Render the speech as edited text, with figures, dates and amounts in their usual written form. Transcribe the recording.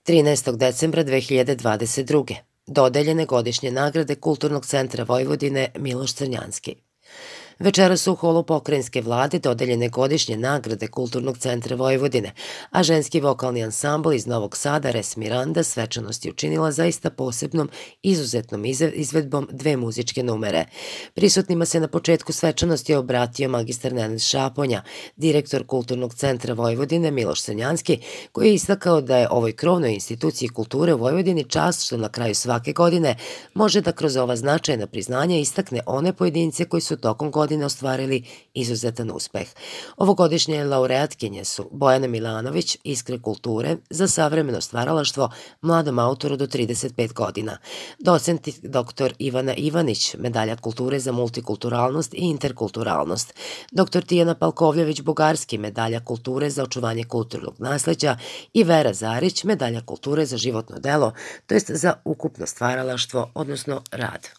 13. decembra 2022. Dodeljene godišnje nagrade Kulturnog centra Vojvodine Miloš Crnjanski. Večeras su u holu pokrajinske vlade dodeljene godišnje nagrade Kulturnog centra Vojvodine, a ženski vokalni ansambl iz Novog Sada Res Miranda svečanost je učinila zaista posebnom, izuzetnom izvedbom dve muzičke numere. Prisutnima se na početku svečanosti obratio magistar Nenad Šaponja, direktor Kulturnog centra Vojvodine Miloš Crnjanski, koji je istakao da je ovoj krovnoj instituciji kulture u Vojvodini čast što na kraju svake godine može da kroz ova značajna priznanja istakne one pojedince koji su tokom godine ostvarili izuzetan uspeh. Ovogodišnje laureatkinje su Bojana Milanović, Iskre kulture, za savremeno stvaralaštvo mladom autoru do 35 godina, docent dr. Ivana Ivanić, medalja kulture za multikulturalnost i interkulturalnost, dr. Tijana Palkovljević-Bugarski, medalja kulture za očuvanje kulturnog nasleđa i Vera Zarić, medalja kulture za životno delo, to jest za ukupno stvaralaštvo, odnosno rad.